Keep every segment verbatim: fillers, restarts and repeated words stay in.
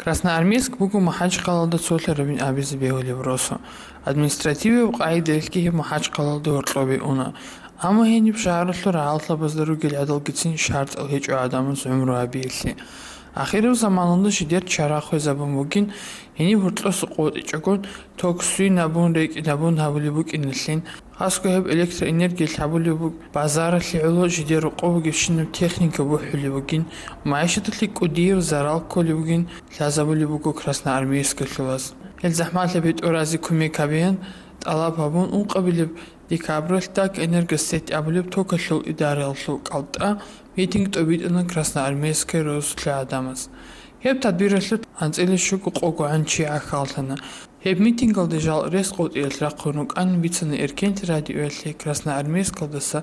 Красноармейск буго МахӀачхъалалда цолъарабин абизе бегьулеб росу. Административияб къагӀидаялъги гьеб МахӀачхъалалда гьоркьобе уна. Амма гьениб шагьаралъул рагӀаллъабазда ругел гӀадалгицин шартӀал гьечӀо гӀадамаз гӀумру гьабиялъе. Ахираб заманалда жидер чара хвезабун бугин, гьениб гьоркьоса къотӀичӀогон, ток сунабун, рекӀинабун гьабулеб букӀиналъин, хасго гьеб электроэнергиялъ гьабулеб буг-, базаралъе гӀоло жидер рокъоб бугебщинаб техника бухӀулеб бугин, магӀишаталъе кӀудияб зарал кколеб бугин лъазабулеб буго Красноармейскалъулаз. Гьел захӀмалъа бетӀоразе кумек гьабеян тӀалаб гьабун, ункъабилеб декабралъ ДАК Энергосеть абулеб токалъул идараялъул кӀалтӀа митинг тӀобитӀана Красноармейская росулъа гӀадамаз. Гьеб тадбиралъулъ анцӀила щуго къого гӀан чи гӀахьаллъана. Гьеб митингалде жал рес къотӀиялъ рахъун рукӀанин бицана Эркенлъи радиоялъе Красноармейскалдаса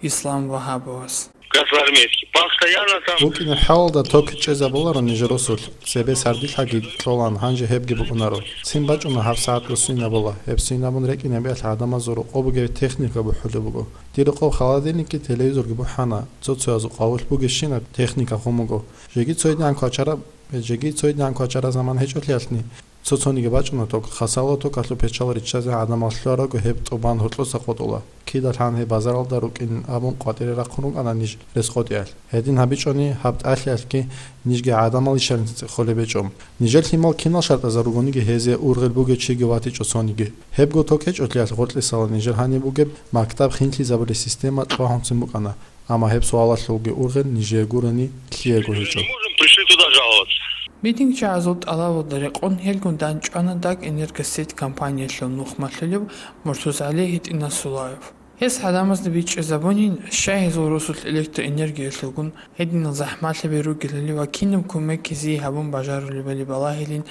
Ислам Вагьабовас. Красноармейский. Постоянно там. БукӀине хӀалалда ток чӀезабуларо нижер росулъ, цебе сардилъаги кьолан, гьанже гьебги букӀунаро. Цин бачӀуна гьаб сагӀат росинабула, гьеб синабун рекӀинабиялъ гӀадамазул рокъоб бугеб техника бухӀулеб буго. Дир рокъоб холодильникги телевизорги бухӀана, цо-цоязул къавулъ бугебщинаб техника хъун буго. Жеги цойдигӀан квачараб, жеги цойдигӀан квачараб заман гьечӀолъиялъни, цо-цониги бачӀуна ток, хасало токалъул печал риччазе гӀадамал лъугьаралго гьеб тӀубан гьоркьоса къотӀула. Кидалъан гьеб базаралда рукӀин абун къватӀире рахъун рукӀана ниж рес къотӀиялъ. Гьедин гьабичӀони гьаб тӀалъиялъги нижги гӀадамал ишарин цӀикӀкӀолеб гьечӀо. Нижер лъимал кинал шартӀазар ругониги гьезие ургъел бугев чиги ватичӀо цониги. Гьебго ток гьечӀолъиялъ гъоркьисала нижер гьаниб бугеб мактаб хинлъизабулеб система кьвагьунцин букӀана. Амма гьеб суалалъулги ургъел нижее гурони лъиего гьечӀо. Пришли туда жаловаться. МитингчагӀазул тӀалабалда рекъон гьелгун данчӀвана ДАК Энергосеть компаниялъул нухмалъулев МуртузгӀали ГьитӀинасулаев. Гьес гӀадамазда бичӀчӀизабунин, щай гьезул росулъ электроэнергиялъулгун гьединал захӀмалъаби ругелали ва кинаб кумек гьезие гьабун бажарулебали балагьилин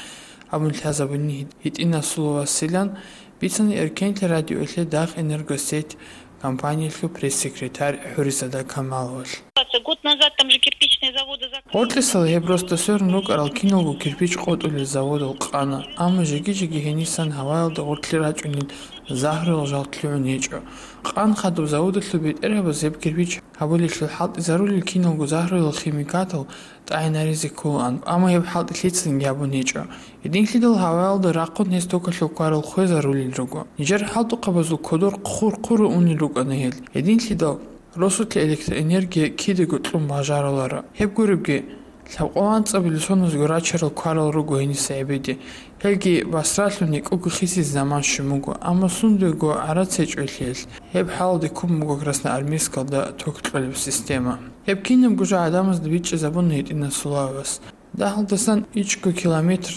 абун лъазабунин ГьитӀинасулаевасилан бицана Эркенлъи радиоялъе ДАК Энергосеть компаниялъул пресс-секретарь ХӀуризада Камаловалъ. Год назад там же кирпичные заводы закрыли. Гъоркьисал гьеб росда сверун рукӀарал киналго кирпич къотӀулел заводал къана, амма жеги-жеги гьенисан гьаваялда гъоркьлъи рачӀунел загьруял жал лъугӀун гьечӀо. Къан хадуб заводалъул бетӀергьабаз гьеб кирпич гьабулелъул хӀалтӀизарулел киналго загьруял химикатал тӀагӀинаризе кколаан, амма гьеб хӀалтӀи лъицанги гьабун гьечӀо. Гьединлъидал гьаваялда рахъун гьес токалъул кварал хвезарулел руго. Нижер хӀалтӀухъабазул кодор хъур-хъуро унел рукӀана гьел. Гьединлъидал росулъе электроэнергия кидаго кьун бажаруларо. Гьеб гуребги, лъабкъоялда анцӀабилеб соназго рачарал кварал руго гьениса гӀебеде. Гьелги басралъун гьекӀого хисизе заман щун буго, амма сундего гӀарац гьечӀолъиялъ, гьеб хӀалалде ккун буго Красноармейскалда ток кьолеб система. Гьеб кинабго жо гӀадамазда бичӀчӀизабуна ГьитӀинасулаевас. Дагьалдасан ичӀго километр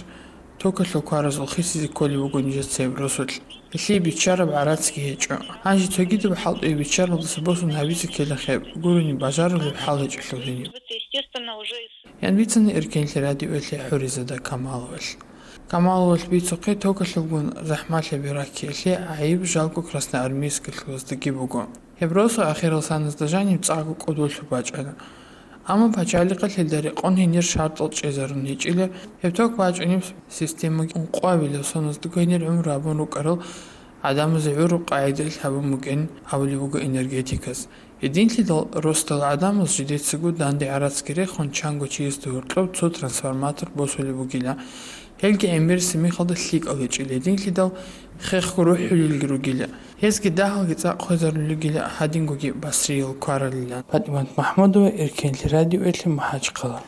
токалъул кваразул хисизе кколеб буго нижеца гьеб росулъ. Гьелъие биччараб гӀарацги гьечӀо. Гьанже цогидаб хӀалтӀуе биччаралдаса босун гьабизе ккелахъе гурони бажарулеб хӀал гьечӀолъул гьениб. Естественно, уже из Ян бицана Эркенлъи радиоялъе ХӀуризада Камаловалъ. Камаловалъ бицухъе токалъулгун захӀмалъаби раккиялъе гӀайиб жалго красноармейскалъулаздаги буго. Гьеб росу ахирал саназда жаниб цӀакъго кӀодолъуб бачӀана. Амма пачалихъалъ гьелда рекъон гьенир шартӀал чӀезарун гьечӀила, гьеб ток бачӀунеб системаги ункъоабилеб соназдаго гьенир гӀумру гьабун рукӀарал гӀадамазе гӀураб къагӀидаялъ гьабун бугин абулеб буго энергетикас. Гьединлъидал росдал гӀадамаз жидецаго данде гӀарацги рехун чанго чиясда гьоркьоб цо трансформатор босулеб бугила. Гьелги гӀемерисеб мехалда лъикӀал гьечӀила, гьединлъидал хехго рухӀулелги ругила. Гьезги дагьалги цӀакъ хвезарулелгила гьадингоги басриял кваралилан. ПатӀимат МахӀмудова, Эркенлъи радиоялъе МахӀачхъала.